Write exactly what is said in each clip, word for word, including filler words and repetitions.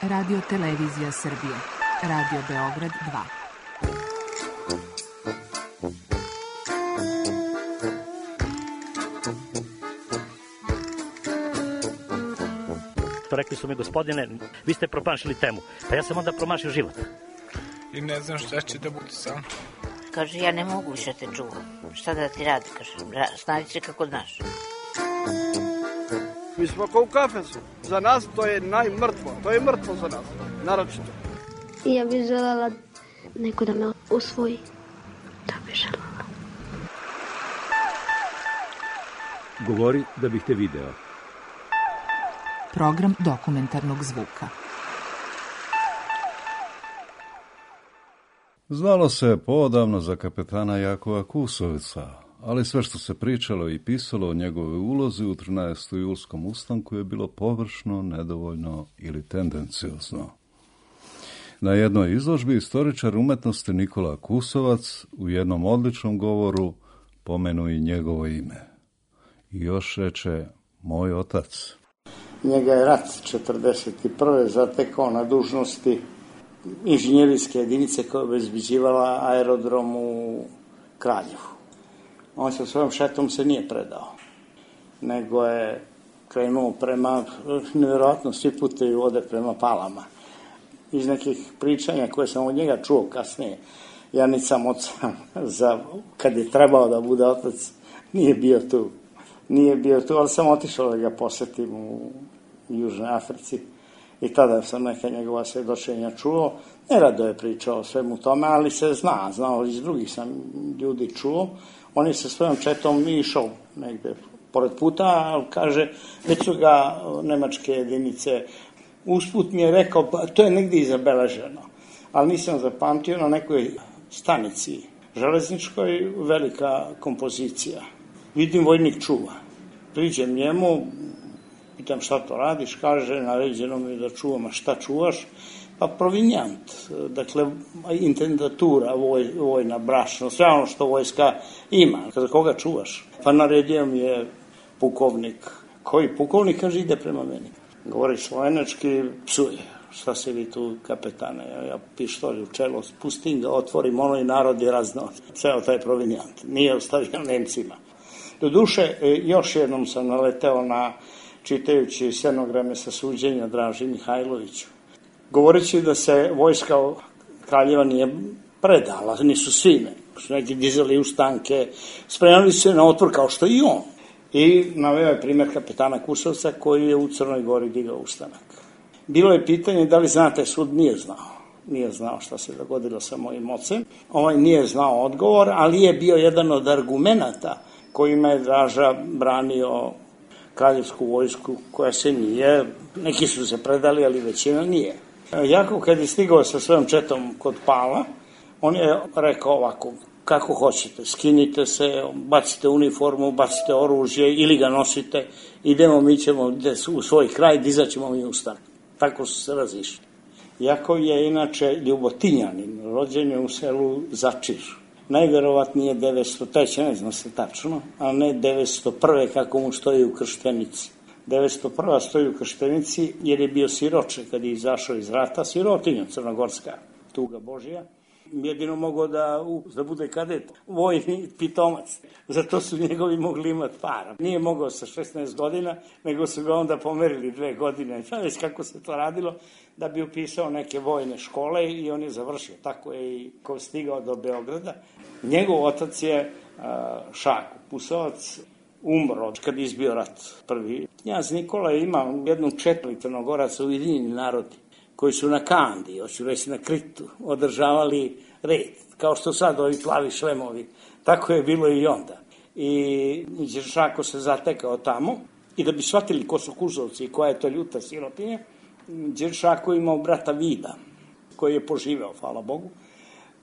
Radio Televizija Srbije. Radio Beograd dva. Rekli su mi, gospodine, vi ste promašili temu. Pa ja sam onda promašio život. I ne znam šta će da bude sam. Kaže, ja ne mogu više te čuvam. Šta da ti radi, kaže, snađi se kako znaš. Mi smo kao u kafesu. Za nas to je najmrtvo. To je mrtvo za nas, naročito. Ja bih želela neko da me usvoji. Da bih želela. Govori da bih te video. Program dokumentarnog zvuka. Znalo se poodavno za kapetana Jakova Kusovca, ali sve što se pričalo i pisalo o njegove ulozi u trinaestom julskom ustanku je bilo površno, nedovoljno ili tendenciozno. Na jednoj izložbi istoričar umetnosti Nikola Kusovac u jednom odličnom govoru pomenuje i njegovo ime. I još reče, moj otac. Njega je rat četrdeset prve zatekao na dužnosti inženjerijske jedinice koja je obezbeđivala aerodrom u Kraljevu. On sa svojom šetom se nije predao, nego je krenuo prema, nevjerojatno svi putevi vode prema Palama. Iz nekih pričanja koje sam od njega čuo kasnije, ja nisam oca, za, kad je trebao da bude otac, nije bio tu. Nije bio tu, ali sam otišao da ga posetim u Južnoj Africi i tada sam neka njegova svedočenja čuo. Nerado je pričao o svemu tome, ali se zna, znao iz drugih sam ljudi čuo. On je sa svojom četom išao negde pored puta, ali kaže, već su ga nemačke jedinice. Usput mi je rekao, pa to je negde i zabeleženo, ali nisam zapamtio, na nekoj stanici železničkoj velika kompozicija. Vidim, vojnik čuva. Priđem njemu, pitam šta to radiš, kaže, naređeno mi da čuvam, a šta čuvaš? Pa provinjant, dakle, intendatura, voj, vojna, brašno, sve ono što vojska ima. Za koga čuvaš? Pa naredio mi je pukovnik. Koji pukovnik? Kaže, ide prema meni. Govori slovenački, psuje. Šta se vi tu, kapetane? Ja, ja pištolj u čelo, spustim ga, otvorim, ono i narod je raznao. Ceo taj provinjant. Nije ostavio Nemcima. Doduše, još jednom sam naleteo na, čitajući scenograme sa suđenja Draži Mihajloviću, govoreći da se vojska Kraljeva nije predala, nisu svi, ne. Su neki dizali ustanke, spremali se na otpor kao što i on. I naveo je primjer kapetana Kusovca koji je u Crnoj Gori digao ustanak. Bilo je pitanje da li znate, sud nije znao. Nije znao šta se dogodilo sa mojim ocem. Ovaj nije znao odgovor, ali je bio jedan od argumenata kojima je Draža branio kraljevsku vojsku koja se nije, neki su se predali, ali većina nije. Jakov kad je stigao sa svojom četom kod Pala, on je rekao ovako, kako hoćete, skinite se, bacite uniformu, bacite oružje ili ga nosite, idemo, mi ćemo u svoj kraj, dizaćemo mi ustanak. Tako su se razišli. Jakov je inače Ljubotinjanin, rođen je u selu Začir. Najverovatnije devetsto treće, ne znam se tačno, a ne devetsto prve kako mu stoji u krštenici. devetsto prva stoji u krštenici jer je bio siroče kad je izašao iz rata, sirotinja crnogorska, tuga Božija. Jedino mogao da, da bude kadet, vojni pitomac. Zato su njegovi mogli imati para. Nije mogao sa šesnaest godina, nego su ga onda pomerili dve godine. Znaš kako se to radilo, da bi upisao neke vojne škole i on je završio. Tako je i ko stigao do Beograda. Njegov otac je Šako Kusovac, umro kad je izbio rat prvi. Knjaz Nikola je imao jednu četiri Crnogoraca Ujedinjeni narodi koji su na Kandi, hoću reći na Kritu, održavali red, kao što sad ovi plavi šlemovi. Tako je bilo i onda. I Đeršako se zatekao tamo i da bi shvatili ko su Kusovci i koja je to ljuta sirotinja, Đeršako imao brata Vida, koji je poživeo, hvala Bogu,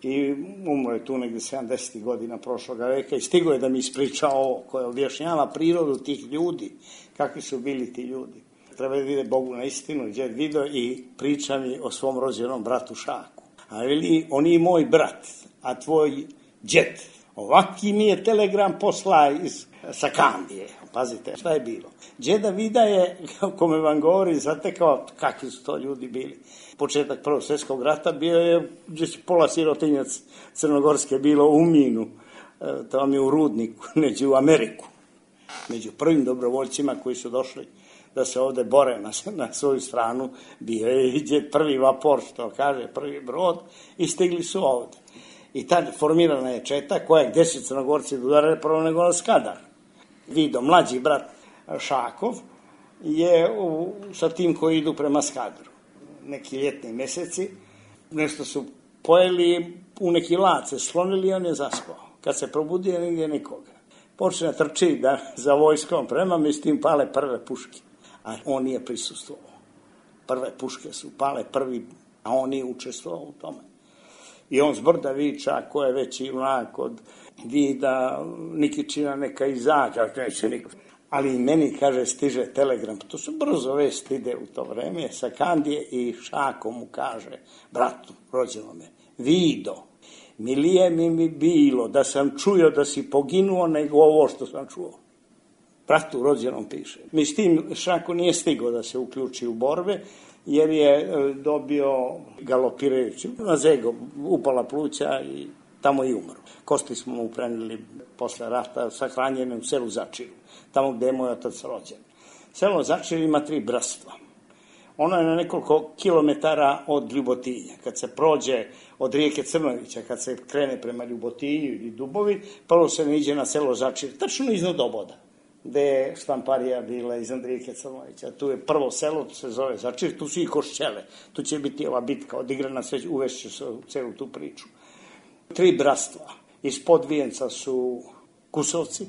i umro je tu negde sedamdesetih godina prošloga veka i stigo je da mi ispriča ovo koje objašnjava prirodu tih ljudi, kakvi su bili ti ljudi. Treba da vide Bogu na istinu, gdje je video i priča mi o svom rođenom bratu Šaku. A veli, on je moj brat, a tvoj džet. Ovaki mi je telegram posla iz Sakandije. Pazite, šta je bilo? Đeda Vida je, kome vam govori, zatekao kakvi su to ljudi bili. Početak Prvog svjetskog rata bio je, gdje će pola sirotinjac crnogorske bilo u minu, to vam je u Rudniku, neđe u Ameriku. Među prvim dobrovoljcima koji su došli da se ovde bore na, na svoju stranu, bio je prvi vapor, što kaže, prvi brod, i stigli su ovde. I tad formirana je četa koja gde su Crnogorci udarali prvo nego na Skadar. Vido, mlađi brat Šakov, je u, sa tim koji idu prema Skadaru. Neki ljetni meseci, nešto su pojeli, u neki lace slonili i on je zaspao. Kad se probudio, nigdje nikoga. Počne trči da za vojskom prema mi s tim pale prve puške. A on nije prisustvovao. Prve puške su pale prvi, a on nije učestvovao u tome. I on zbrda viča, ko je već i onak od Vida, Nikićina neka izađa, neće niko. Ali i meni, kaže, stiže telegram, to su brzo vest ide u to vreme, Sakandije i Šako mu kaže, bratu, rođenome, Vido, milije mi mi bilo da sam čuo da si poginuo nego ovo što sam čuo. Bratu rođenom piše. Mi s tim Šako nije stigao da se uključi u borbe, jer je dobio galopirajući na zego, upala pluća i tamo i umro. Kosti smo mu prenili posle rata, sahranjene u selu Začiju, tamo gde je moj otac rođen. Selo Začiju ima tri bratstva. Ono je na nekoliko kilometara od Ljubotinja. Kad se prođe od rijeke Crnovića, kad se krene prema Ljubotinju i Dubovi, prvo se ne iđe na selo Začiju, tačno iznad Oboda, gde je štamparija bila iznad rijeke Crnovića. Tu je prvo selo, to se zove Začir, tu su i Košćele. Tu će biti ova bitka odigrana, sve uvešće se u celu tu priču. Tri bratstva. Ispod Vijenca su Kusovci,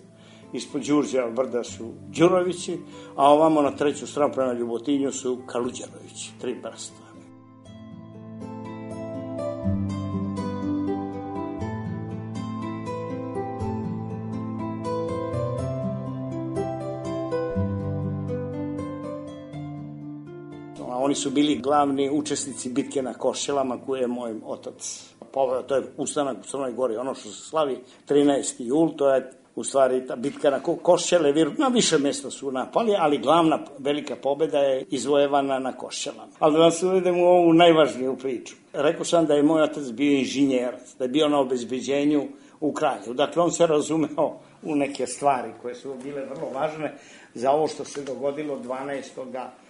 ispod Đurđeva brda su Đurovići, a ovamo na treću stranu prema Ljubotinju su Kaluđerovići. Tri bratstva. Oni su bili glavni učesnici bitke na Košćelama koje je moj otac poveo. To je ustanak u Crnoj Gori. Ono što se slavi trinaesti jul, to je u stvari ta bitka na Košćele. Na više mjesta su napali, ali glavna velika pobjeda je izvojevana na Košćelama. Ali da vam se uvedem u ovu najvažniju priču. Rekao sam da je moj otac bio inženjerac, da je bio na obezbeđenju u Kraljevu. Dakle, on se razumeo u neke stvari koje su bile vrlo važne za ovo što se dogodilo dvanaestog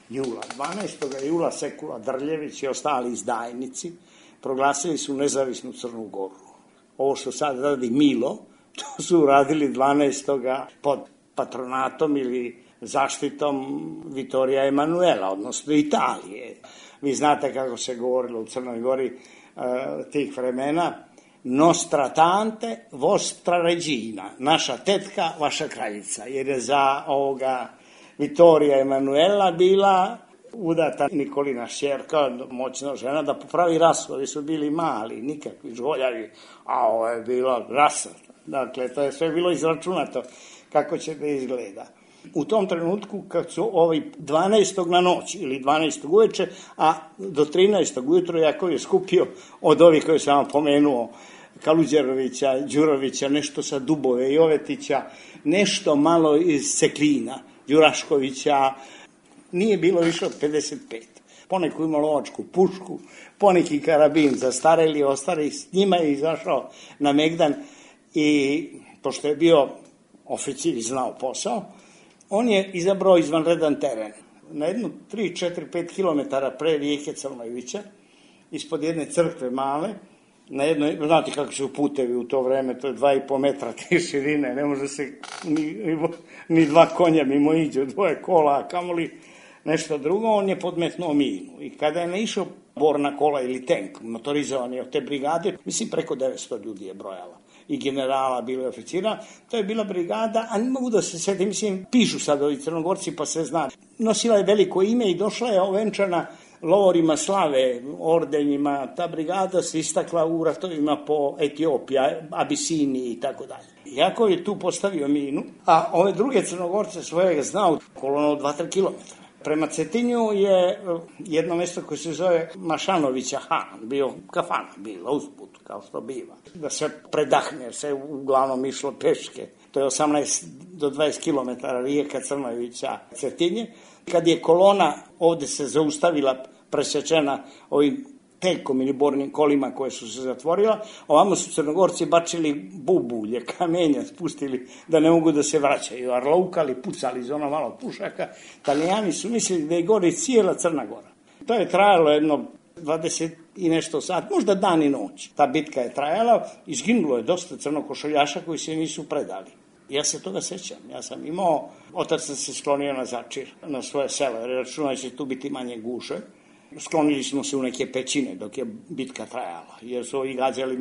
jula. dvanaestog jula Sekula Drljević i ostali izdajnici proglasili su nezavisnu Crnu Goru. Ovo što sad radi Milo, to su radili dvanaestog pod patronatom ili zaštitom Vittorija Emanuela, odnosno Italije. Vi znate kako se govorilo u Crnoj Gori uh, tih vremena. Nostra tante, vostra regina, naša tetka, vaša kraljica, jer je za ovoga Vittorija Emanuela bila udata Nikolina šćerka, moćna žena, da popravi rasu. Ovi su bili mali, nikakvi žoljavi, a ovo je bila rasa. Dakle, to je sve bilo izračunato kako će da izgleda. U tom trenutku, kad su ovi dvanaestog na noć ili dvanaestog uveče, a do trinaestog ujutro Jakov je skupio od ovih koje sam vam pomenuo, Kaluđerovića, Đurovića, nešto sa Dubove, Jovetića, nešto malo iz Seklina, Đuraškovića, nije bilo više od pedeset pet. Poneku ima lovačku pušku, poneki karabin zastareli, ostali, s njima je izašao na Megdan i, pošto je bio oficir i znao posao, on je izabrao izvanredan teren. Na jednu tri, četiri, pet kilometara pre rijeke Crnovića, ispod jedne crkve male, na jednoj, znate kako su putevi u to vreme, to je dva i po metra te širine, ne može se ni, ni dva konja mimo iđe, dvoje kola, a kamoli nešto drugo, on je podmetnuo minu. I kada je naišao borna kola ili tank, motorizovani od te brigade, mislim preko devetsto ljudi je brojala. I generala, bilo je oficira, to je bila brigada, a ne mogu da se sedi, mislim, pišu sad ovi Crnogorci pa se zna. Nosila je veliko ime i došla je ovenčana lovorima slave, ordenjima, ta brigada se istakla u ratovima po Etiopiji, Abisiniji i tako dalje. Jakov je tu postavio minu, a ove druge Crnogorce svojega znao kolono dva do tri kilometra. Prema Cetinju je jedno mjesto koje se zove Mašanovića Han, bio kafana, bila usput, kao što biva. Da se predahne, se uglavnom išlo peške to je osamnaest do dvadeset kilometara rijeka Crnojevića, Cetinje. Kad je kolona ovde se zaustavila, presečena ovim tenkom ili bornim kolima koje su se zatvorila, ovamo su Crnogorci bačili bubulje, kamenja spustili da ne mogu da se vraćaju, arlaukali, pucali iz ono malo pušaka. Italijani su mislili da je gori cijela Crna Gora. To je trajalo jedno dvadeset i nešto sat, možda dan i noć. Ta bitka je trajala, izginulo je dosta crnokošuljaša koji se nisu predali. Ja se toga sećam. Ja sam imao, otac sam se sklonio na Začir, na svoje selo, jer računao će tu biti manje guše. Sklonili smo se u neke pećine dok je bitka trajala, jer su ovi gađali,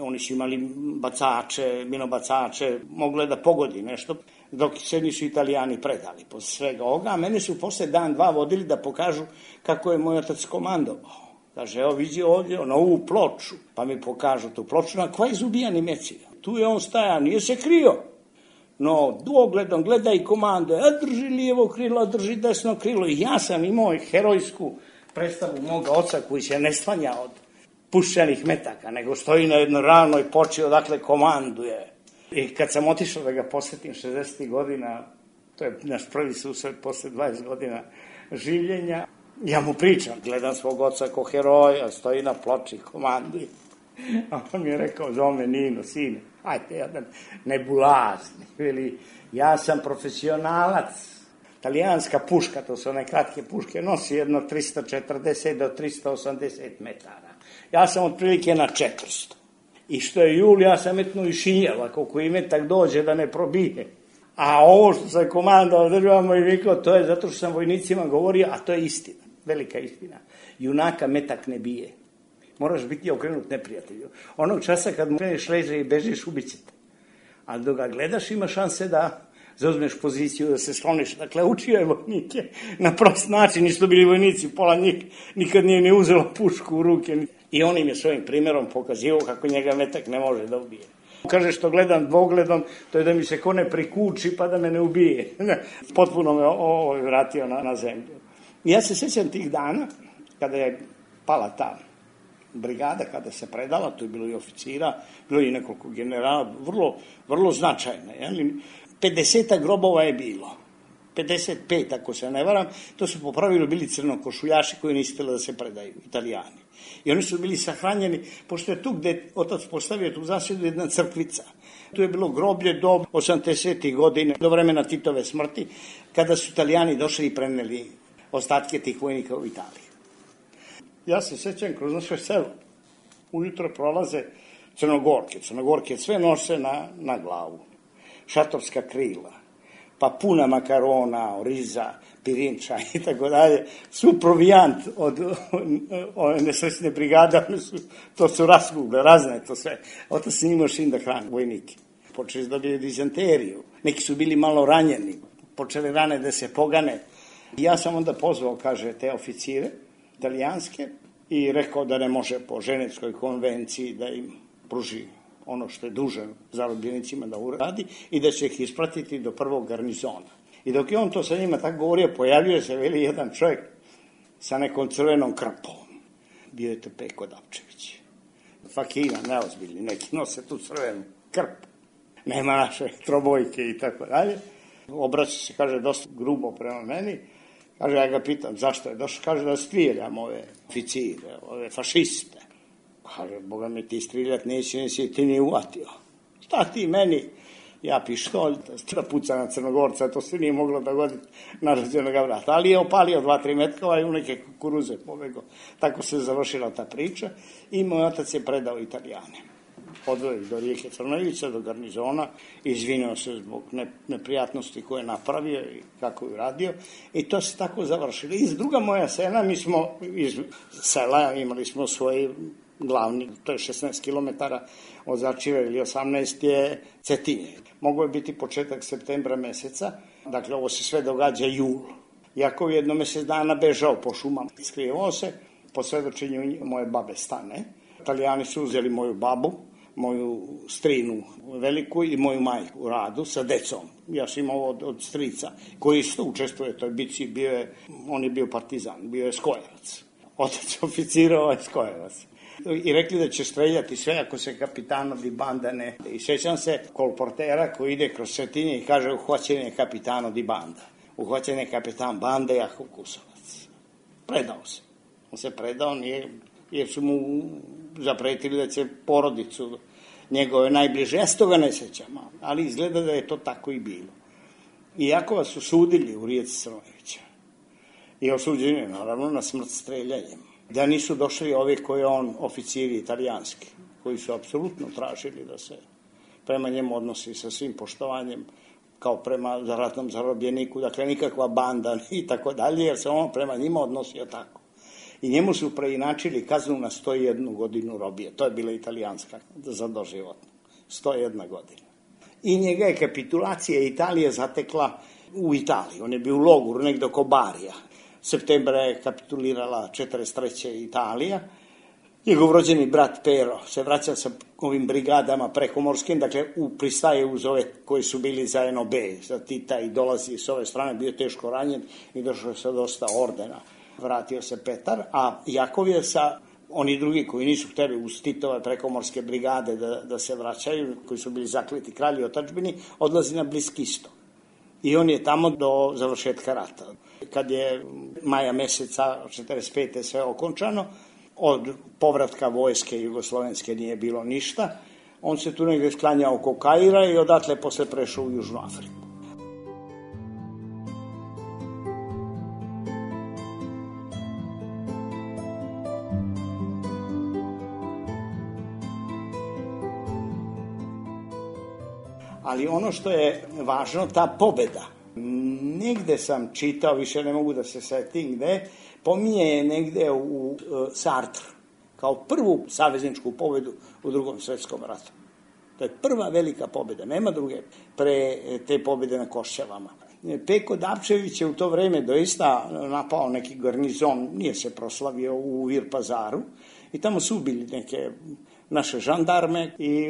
oni su imali bacače, minobacače, moglo je da pogodi nešto, dok se nisu Italijani predali posle svega ovoga. A mene su posle dan, dva vodili da pokažu kako je moj otac komandovao. Kaže, evo vidi ovdje na ovu ploču, pa mi pokažu tu ploču, na koja je zubijani meci. Tu je on stajao, nije se krio. No, dvogledom gleda i komanduje, a drži lijevo krilo, a drži desno krilo. I ja sam imao herojsku predstavu moga oca koji se ne slanja od puščanih metaka, nego stoji na jednoj ravnoj poči odakle komanduje. I kad sam otišao da ga posjetim šezdesetih godina, to je naš prvi susret posle dvadeset godina življenja, ja mu pričam, gledam svog oca ko heroja, stoji na ploči, komanduje. A on mi je rekao, zove Nino, sine, ajte, jedan nebulazni, veli, ja sam profesionalac. Italijanska puška, to su one kratke puške, nosi jedno trista četrdeset do trista osamdeset metara. Ja sam otprilike na četiristo. I što je jul, ja sam metnuo i šinjel, ako koji metak dođe da ne probije. A ovo što sam komandao državamo i vikao, to je zato što sam vojnicima govorio, a to je istina, velika istina. Junaka metak ne bije. Moraš biti okrenut neprijatelju. Onog časa kad mu kreneš leže i bežiš, ubićete. A dok ga gledaš, ima šanse da zauzmeš poziciju, da se skloniš. Dakle, učio je vojnike na prost način, nisu bili vojnici, pola njih nikad nije ni uzelo pušku u ruke. I on im je svojim primjerom pokazivao kako njega metak ne može da ubije. Kaže što gledam dvogledom, to je da mi se ko ne prikuči pa da me ne ubije. Potpuno me ovo vratio na, na zemlju. I ja se sjećam tih dana, kada je pala ta brigada, kada se predala, tu je bilo i oficira, bilo i nekoliko generala, vrlo, vrlo značajne. Jeli? pedeset grobova je bilo. pedeset pet, ako se ne varam, to su po pravilu bili crnokošuljaši koji nisu htjeli da se predaju, Italijani. I oni su bili sahranjeni, pošto je tu gde otac postavio tu zasjedu jedna crkvica. Tu je bilo groblje do osamdesetih godine, do vremena Titove smrti, kada su Italijani došli i preneli ostatke tih vojnika u Italiji. Ja se sjećam kroz naše selo. Ujutro prolaze Crnogorke. Crnogorke sve nose na, na glavu. Šatorska krila, pa puna makarona, oriza, pirinča i tako dalje. Su provijant od ove nesrećne brigade, su, to su raskugle, razne to sve. Otac se imao šin da hrani vojnike. Počeli da dobiju dizanteriju. Neki su bili malo ranjeni, počeli rane da se pogane. Ja sam onda pozvao, kaže, te oficire italijanske i rekao da ne može po Ženevskoj konvenciji da im pruži ono što je dužan zarobljenicima da uradi i da će ih ispratiti do prvog garnizona. I dok je on to sa njima tako govorio, pojavljuje se veli jedan čovjek sa nekom crvenom krpom. Bio je to Peko Dapčević. Fakina, neozbiljni, neki nose tu crvenu krpu. Nema naše trobojke i tako dalje. Obraća se, kaže, dosta grubo prema meni. Kaže, ja ga pitam, zašto je došao? Kaže, da strijeljam ove oficire, ove fašiste. Kaže, Boga mi ti striljat neće, neće ti nije uvatio. Šta ti meni? Ja pištolj, da puca na Crnogorca, to se nije moglo dogoditi na rođenog vrata. Ali je opalio dva, tri metkova i u neke kukuruze pobegao. Tako se završila ta priča i moj otac je predao Italijane. Odveo ih do rijeke Crnojevića, do garnizona, izvinio se zbog neprijatnosti koje je napravio i kako je radio. I to se tako završilo. Iz druga moja sela, mi smo iz sela imali smo svoje glavni, to je šesnaest kilometara od Začira ili osamnaest je Cetinje. Mogu je biti početak septembra meseca, dakle ovo se sve događa jul. Jako je jedno mjesec dana bežao po šumama, skrivao se, po svedočenju moje babe Stane. Italijani su uzeli moju babu, moju strinu veliku i moju majku u Radu sa decom. Ja sam imao od, od strica koji isto učestvuje u toj bici, bio je, on je bio partizan, bio je Skojevac. Otac oficirao je Skojevac. i rekli da će streljati sve ako se kapitano di banda ne. I sjećam se kolportera koji ide kroz Cetinje i kaže uhvaćen je kapitano di banda. Uhvaćen je kapitan bande Jakov Kusovac. Predao se. On se predao nije, jer su mu zapretili da će porodicu njegove najbliže. Ja se toga ne sjećam, ali izgleda da je to tako i bilo. I Jakova su sudili u Rijeci Crnojevića. I osuđen je naravno na smrt streljanjem. Da nisu došli ovi koji on, oficiri italijanski, koji su apsolutno tražili da se prema njemu odnosi sa svim poštovanjem kao prema ratnom zarobljeniku, dakle nikakva banda i tako dalje, jer se on prema njima odnosio tako. I njemu su preinačili kaznu na sto jednu godinu robije. To je bila italijanska za doživotno. sto jedna godina. I njega je kapitulacija Italije zatekla u Italiji. On je bio u logoru negdje oko Barija. Septembra je kapitulirala četrdeset treće Italija. Njegov rođeni brat Pero se vraća sa ovim brigadama prekomorskim, dakle u pristaje uz ove koji su bili za N O B, za Tita i dolazi s ove strane, bio teško ranjen i došao je sa dosta ordena. Vratio se Petar, a Jakov je sa oni drugi koji nisu htjeli uz Titove prekomorske brigade da, da se vraćaju, koji su bili zakleti kralji otadžbini, odlazi na Bliski istok. I on je tamo do završetka rata. Kad je maja meseca četrdeset pete sve okončano, od povratka vojske jugoslovenske nije bilo ništa, on se tu negdje sklanjao oko Kaira i odatle posle prešao u Južnu Afriku. Ali ono što je važno, ta pobjeda. Negde sam čitao, više ne mogu da se setim gde, pominje je negde u, u Sartru, kao prvu savezničku pobjedu u Drugom svjetskom ratu. To je prva velika pobjeda, nema druge pre te pobjede na Košćevama. Peko Dapčević je u to vreme doista napao neki garnizon, nije se proslavio u Virpazaru, i tamo su ubili neke naše žandarme i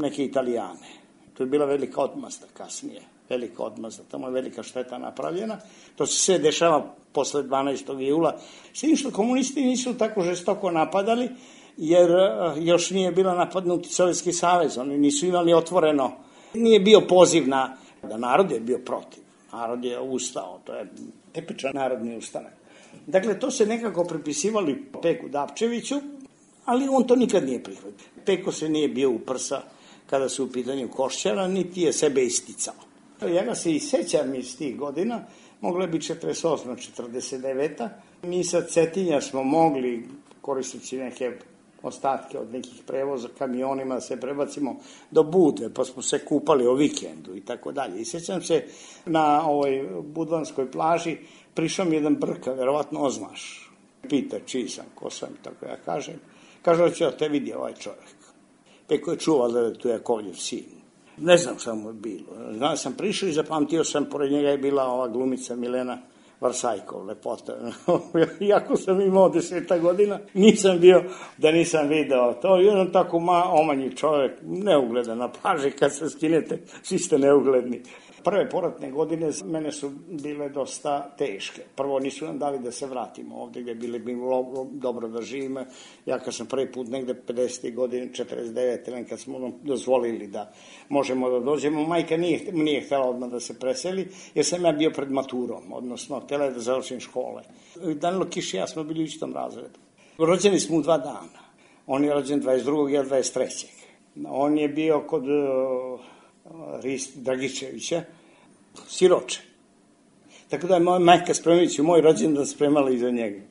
neke Italijane. To je bila velika odmazda kasnije, velika odmazda, tamo je velika šteta napravljena. To se sve dešava posle dvanaestog jula. S tim što komunisti nisu tako žestoko napadali, jer još nije bila napadnuti Sovjetski savez, oni nisu imali otvoreno. Nije bio poziv na, da narod je bio protiv, narod je ustao, to je tipičan narodni ustanak. Dakle, to se nekako pripisivali Peku Dapčeviću, ali on to nikad nije prihvatio. Peko se nije bio u prsa kada su u pitanju Košćara, niti je sebe isticao. Ja ga se i sećam iz tih godina, mogla bi četrdeset osma četrdeset deveta Mi sa Cetinja smo mogli, koristeći neke ostatke od nekih prevoza kamionima, se prebacimo do Budve, pa smo se kupali o vikendu i tako dalje. I sećam se na ovoj budvanskoj plaži, prišao mi jedan brka, verovatno oznaš. Pita čiji sam, ko sam, tako ja kažem. Kaže, da ću te vidi ovaj čovjek. Peko je čuval da je tu Jakovljev sin. Ne znam šta mu je bilo. Znam sam prišao i zapamtio sam, pored njega je bila ova glumica Milena Varsajkov, lepota. Iako sam imao deseta godina, nisam bio da nisam video to. Jedan tako ma, omanji čovjek, neugledan na plaži, kad se skinete, svi ste neugledni. Prve poratne godine mene su bile dosta teške. Prvo nisu nam dali da se vratimo ovdje gdje bili bilo dobro da živimo. Ja kad sam prvi put negde pedesetih godine, četrdeset devete kad smo dozvolili da možemo da dođemo, majka nije, nije htjela odmah da se preseli, jer sam ja bio pred maturom, odnosno htjela je da završim škole. Danilo Kiš i ja smo bili u istom razredu. Rođeni smo u dva dana. On je rođen dvadeset drugog ja dvadeset trećeg On je bio kod Rist Dragičevića, siroče. Tako da je moja majka spremajući moj rođendan spremala i za njega.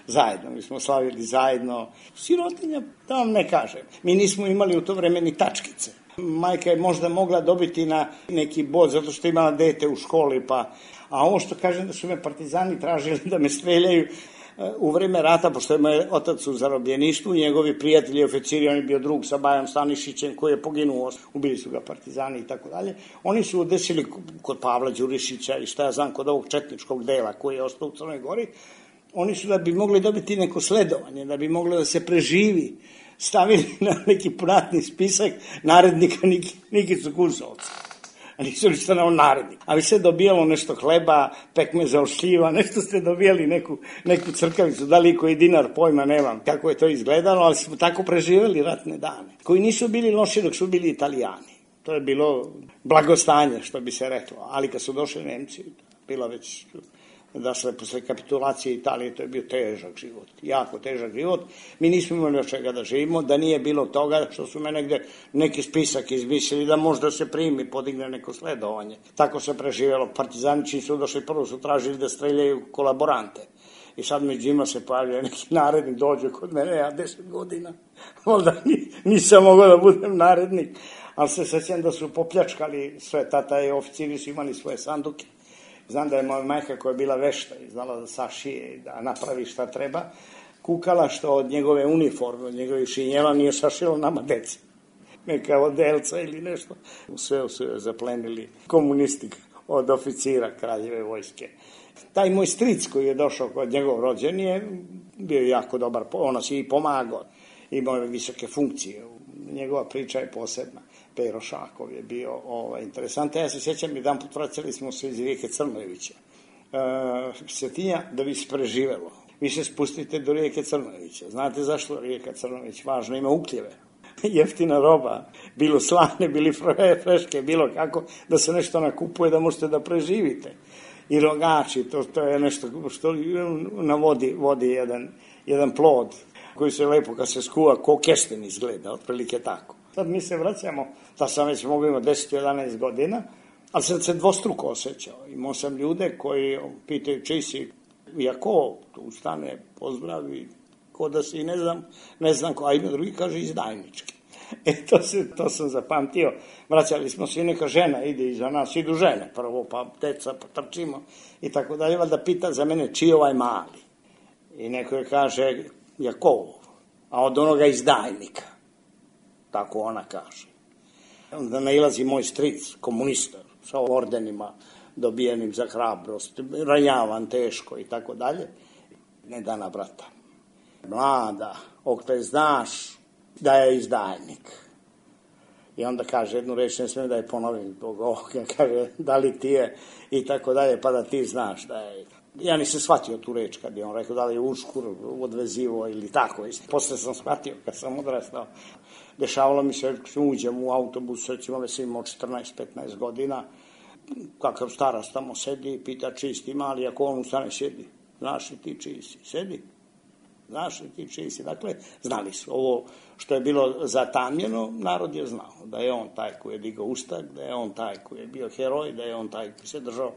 Zajedno, mi smo slavili zajedno. Sirotinja, da vam ne kažem. Mi nismo imali u to vreme ni tačkice. Majka je možda mogla dobiti na neki bod zato što je imala dete u školi, pa... A ovo što kažem da su me partizani tražili da me streljaju u vreme rata, pošto je moj otac u zarobljeništvu, njegovi prijatelji i oficiri, on je bio drug sa Bajom Stanišićem koji je poginuo, ubili su ga partizani i tako dalje. Oni su desili kod Pavla Đurišića i šta ja znam kod ovog četničkog dela koji je ostao u Crnoj Gori, oni su da bi mogli dobiti neko sledovanje, da bi mogli da se preživi, stavili na neki pratni spisak narednika Nikicu Kusovca. a nisu li stanao narednik. A vi se dobijalo nešto hleba, pekmeza od šljiva, nešto ste dobijali, neku, neku crkavicu, da li koji dinar, pojma nemam kako je to izgledalo, ali smo tako preživjeli ratne dane, koji nisu bili loši dok su bili Italijani. To je bilo blagostanje, što bi se reklo, ali kad su došli Nemci, bilo već... Dakle, posle kapitulacije Italije, to je bio težak život, jako težak život. Mi nismo imali od čega da živimo, da nije bilo toga što su me negde neki spisak izmislili da možda se primi, podigne neko sledovanje. Tako se preživjelo. Partizanići su došli, prvo su tražili da streljaju kolaborante. I sad među njima se pojavljaju neki narednik, dođe kod mene, ja deset godina, onda nisam mogao da budem narednik. Ali se sećam da su popljačkali sve, tata i oficiri su imali svoje sanduke. Znam da je moja majka koja je bila vešta i znala da sašije i da napravi šta treba, kukala što od njegove uniforme, od njegovih šinjela nije sašilo nama deci. Neka odelca ili nešto. Sve su joj zaplenili komunisti od oficira kraljeve vojske. Taj moj stric koji je došao kod njegov rođen je bio jako dobar, ono si i pomagao, imao je visoke funkcije. Njegova priča je posebna. Pero Šakov je bio ovaj, interesantan. Ja se sjećam, jedan put vraćali smo se iz rijeke Crnojevića. E, Svetinja, da bi se preživelo, vi se spustite do rijeke Crnojevića. Znate zašto rijeka Crnojević važna? Ima ukljeve. Jeftina roba, bilo slane, bili freške, bilo kako, da se nešto nakupuje, da možete da preživite. I rogači, to, to je nešto što na vodi, vodi jedan, jedan plod koji se lepo kad se skuva ko kesten izgleda, otprilike tako. Sad mi se vraćamo, da sam već mogu imati deset do jedanaest godina, ali sam se dvostruko osjećao. Imao sam ljude koji pitaju čiji si, iako tu ustane, pozdravi, ko da si, ne znam, ne znam ko, a ima drugi kaže izdajnički. E, to, se, to sam zapamtio. Vraćali smo se i neka žena ide iza nas, idu žene prvo, pa deca, pa trčimo i tako dalje, valjda pita za mene čiji ovaj mali. I neko je kaže Jakov, a od onoga izdajnika. Tako ona kaže. Onda nailazi moj stric, komunista, sa ordenima dobijenim za hrabrost, ranjavan, teško i tako dalje. Ne dana brata. Mlada, okle znaš da je izdajnik. I onda kaže jednu reč, ne smijem da je ponovim zbog ovoga, kaže da li ti je i tako dalje, pa da ti znaš da je. Ja nisam shvatio tu reč kad je on rekao da li je uškur odvezivo ili tako. Posle sam shvatio kad sam odrastao. Dešavalo mi se, uđem u autobus, recimo da sam imao četrnaest petnaest godina, kakav starac tamo sedi i pita čiji si mali, ako on ustane sjedi. Znaš li ti čiji si? Sedi. Znaš li ti čiji si? Dakle, znali su. Ovo što je bilo zatamljeno, narod je znao. Da je on taj koji je digao ustak, da je on taj koji je bio heroj, da je on taj koji se držao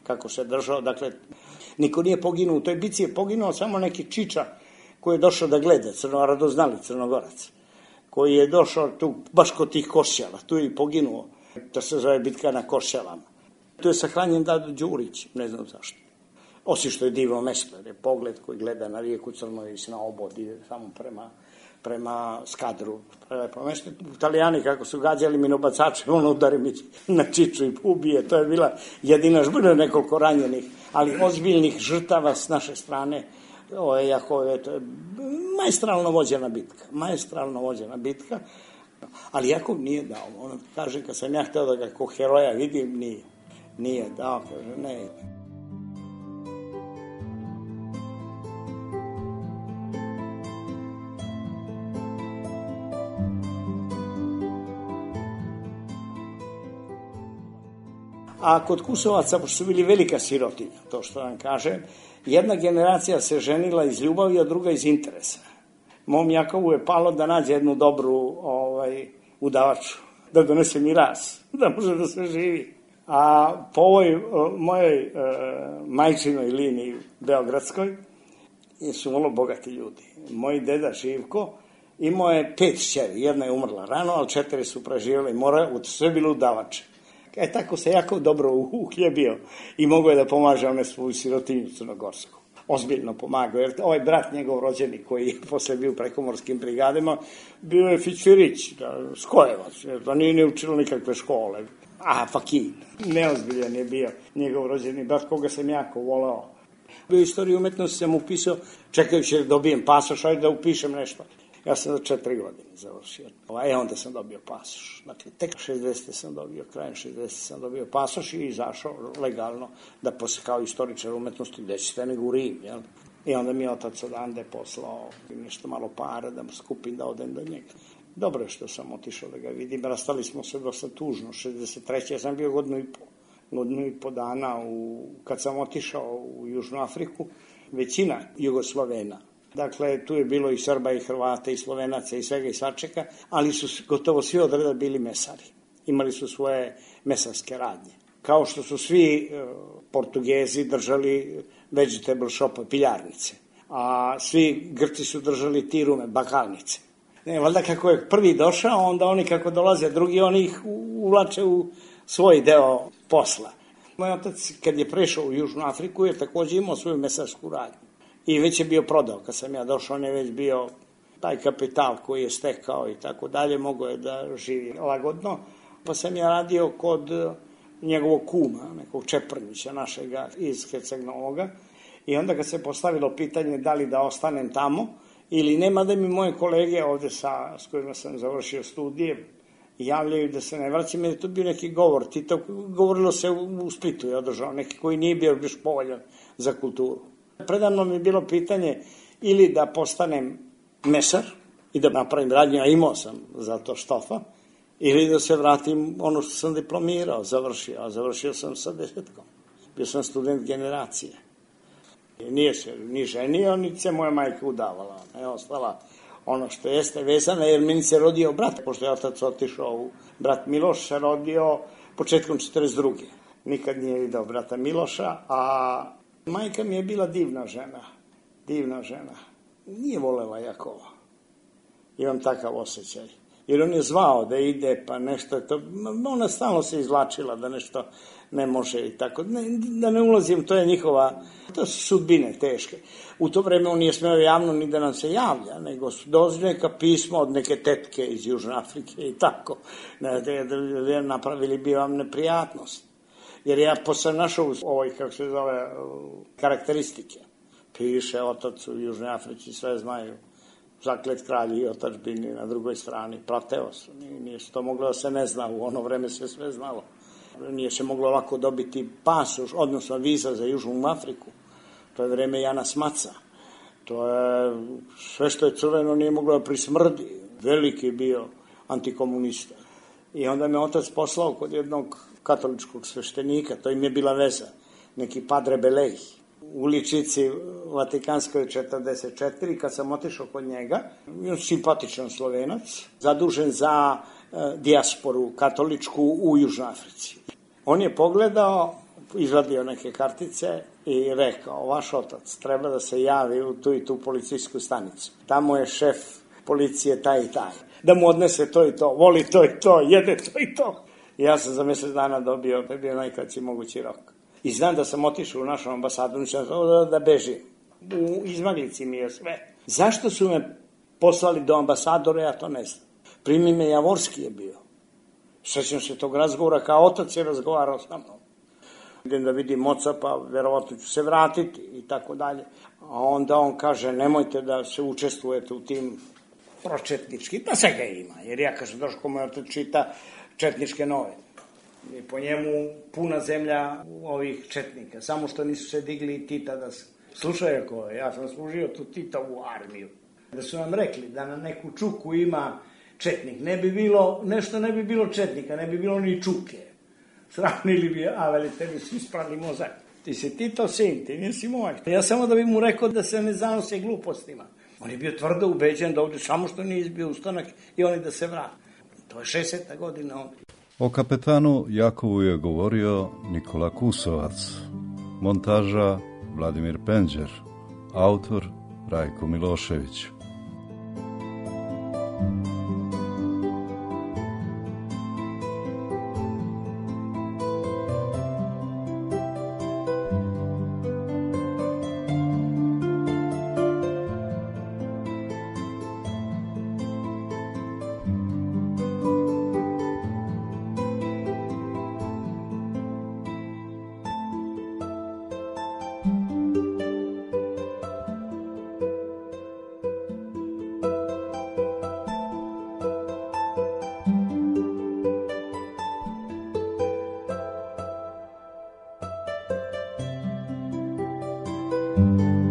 kako se držao. Dakle, niko nije poginuo. U toj bici je poginuo samo neki čiča koji je došao da gleda, crno, radoznali Crnogorac, koji je došao tu baš kod tih Košćala. Tu je i poginuo. To se zove bitka na Košćalama. Tu je sahranjen Dado Đurić, ne znam zašto. Osim što je divno mesto, jer je pogled koji gleda na rijeku Crnojević, na obod, ide samo prema, prema Skadru. Prelepo mesto. Italijani kako su gađali minobacače, on udari mi na čiču i ubije. To je bila jedina žbuna, nekoliko ranjenih, ali ozbiljnih žrtava s naše strane. Ovo je jako, to je maestralno vođena bitka, maestralno vođena bitka, ali Jakov nije dao. On kaže, kad sam ja htio da ga kao heroja vidim, nije, nije dao, kaže, ne. A kod Kusovaca, pošto su bili velika sirotinja, to što vam kažem, jedna generacija se ženila iz ljubavi, a druga iz interesa. Mom Jakovu je palo da nađe jednu dobru ovaj, udavaču, da donese miraz, da može da se živi. A po ovoj mojoj e, majčinoj liniji beogradskoj su vrlo bogati ljudi. Moj deda Živko imao je pet šćeri, jedna je umrla rano, ali četiri su preživjeli i mora, sve bilo udavače. E tako se jako dobro uhljebio i mogao je da pomaže one svoju sirotinju crnogorsku. Ozbiljno pomagao, jer ovaj brat njegov rođeni koji je posle bio u prekomorskim brigadama, bio je Fićfirić, skojevac, da nije ni učilo nikakve škole. A, fakin, neozbiljan je bio njegov rođeni brat, koga sam jako volao. Bio istoriju umetnosti sam upisao, čekajući da dobijem pasoš, ajde da upišem nešto. Ja sam za četiri godine završio. E, onda sam dobio pasoš. Dakle, tek šezdeset sam dobio, krajem šezdeset sam dobio pasoš i izašao legalno da posle kao istoričar umetnosti gde ćete nego u Rim, jel? I onda mi je otac odande poslao nešto malo para da mu skupim da odem do njega. Dobro je što sam otišao da ga vidim. Rastali smo se dosta tužno. šezdeset treće Ja sam bio godinu i po, godinu i po dana u, kad sam otišao u Južnu Afriku. Većina Jugoslovena. Dakle, tu je bilo i Srba i Hrvata i Slovenaca i svega i svačega, ali su gotovo svi od reda bili mesari. Imali su svoje mesarske radnje. Kao što su svi e, Portugezi držali vegetable shopa, piljarnice, a svi Grci su držali tirume, bakalnice. Ne, valjda kako je prvi došao, onda oni kako dolaze drugi, oni ih uvlače u svoj deo posla. Moj otac, kad je prešao u Južnu Afriku, je takođe imao svoju mesarsku radnju. I već je bio prodao. Kad sam ja došao, on je već bio taj kapital koji je stekao i tako dalje, mogao je da živi lagodno. Pa sam ja radio kod njegovog kuma, nekog Čeprnića našega iz Herceg-Novoga. I onda kad se postavilo pitanje da li da ostanem tamo ili nema, da mi moje kolege ovde sa, s kojima sam završio studije javljaju da se ne vraćam, jer je to bio neki govor. Tito, govorilo se u Splitu, je održao neki koji nije bio još povoljan za kulturu. Predavno mi je bilo pitanje ili da postanem mesar i da napravim radnju, a imao sam za to štofa, ili da se vratim ono što sam diplomirao, završio, a završio sam sa desetkom. Bio sam student generacije. Nije se ni ženio, ni se moja majka udavala. Ona je ostala ono što jeste vezana, jer meni se rodio brat, pošto je otac otišao u brat Miloš, se rodio početkom četrdeset druge Nikad nije video brata Miloša, a majka mi je bila divna žena, divna žena. Nije volela Jakova. Imam takav osjećaj. Jer on je zvao da ide, pa nešto je to, ona stalno se izvlačila da nešto ne može i tako. Ne, da ne ulazim, to je njihova, to su sudbine teške. U to vreme on nije smeo javno ni da nam se javlja, nego su došli neka pisma od neke tetke iz Južne Afrike i tako. Ne, da, da napravili bi vam neprijatnost. Jer ja posle našao ovoj, kako se zove, karakteristike. Piše otac u Južnoj Africi, sve znaju. Zaklet kralji i otačbini na drugoj strani. Prateo su. Nije, nije se to moglo da se ne zna. U ono vreme se sve znalo. Nije se moglo lako dobiti pasoš, odnosno viza za Južnu Afriku. To je vreme Jana Smaca. To je sve što je crveno nije moglo da prismrdi. Veliki bio antikomunista. I onda me otac poslao kod jednog katoličkog sveštenika, to im je bila veza, neki Padre Belej, u uličici Vatikanskoj četrdeset četiri Kad sam otišao kod njega, on simpatičan Slovenac, zadužen za e, dijasporu katoličku u Južnoj Africi. On je pogledao, izvadio neke kartice i rekao, vaš otac treba da se javi u tu i tu policijsku stanicu. Tamo je šef policije taj i taj. Da mu odnese to i to, voli to i to, jede to i to. I ja sam za mjesec dana dobio, to je bio najkraći mogući rok. I znam da sam otišao u našu ambasadu, nisam da, da bežim. U izmaglici mi je sve. Zašto su me poslali do ambasadora, ja to ne znam. Primi me Javorski je bio. Srećem se tog razgovora, kao otac je razgovarao sa mnom. Idem da vidim oca, pa verovatno ću se vratiti i tako dalje. A onda on kaže, nemojte da se učestvujete u tim pročetnički, pa svega ima, jer ja kažem, Doško moj otac čita četničke novine. I po njemu puna zemlja ovih četnika, samo što nisu se digli Tita da se... Slušaj, ako ja sam služio tu Titovu armiju, da su nam rekli da na neku čuku ima četnik, ne bi bilo, nešto ne bi bilo četnika, ne bi bilo ni čuke. Sravnili bi, a veli, tebi su isprali mozak. Ti si Tito sin, ti nisi moj. Ja samo da bi mu rekao da se ne zanose glupostima. On je bio tvrdo ubeđen da ovdje samo što nije izbio ustanak i oni da se vrati. To je šezdeseta godina ovdje. O kapetanu Jakovu je govorio Nikola Kusovac, montaža Vladimir Penđer, autor Rajko Milošević. Thank you.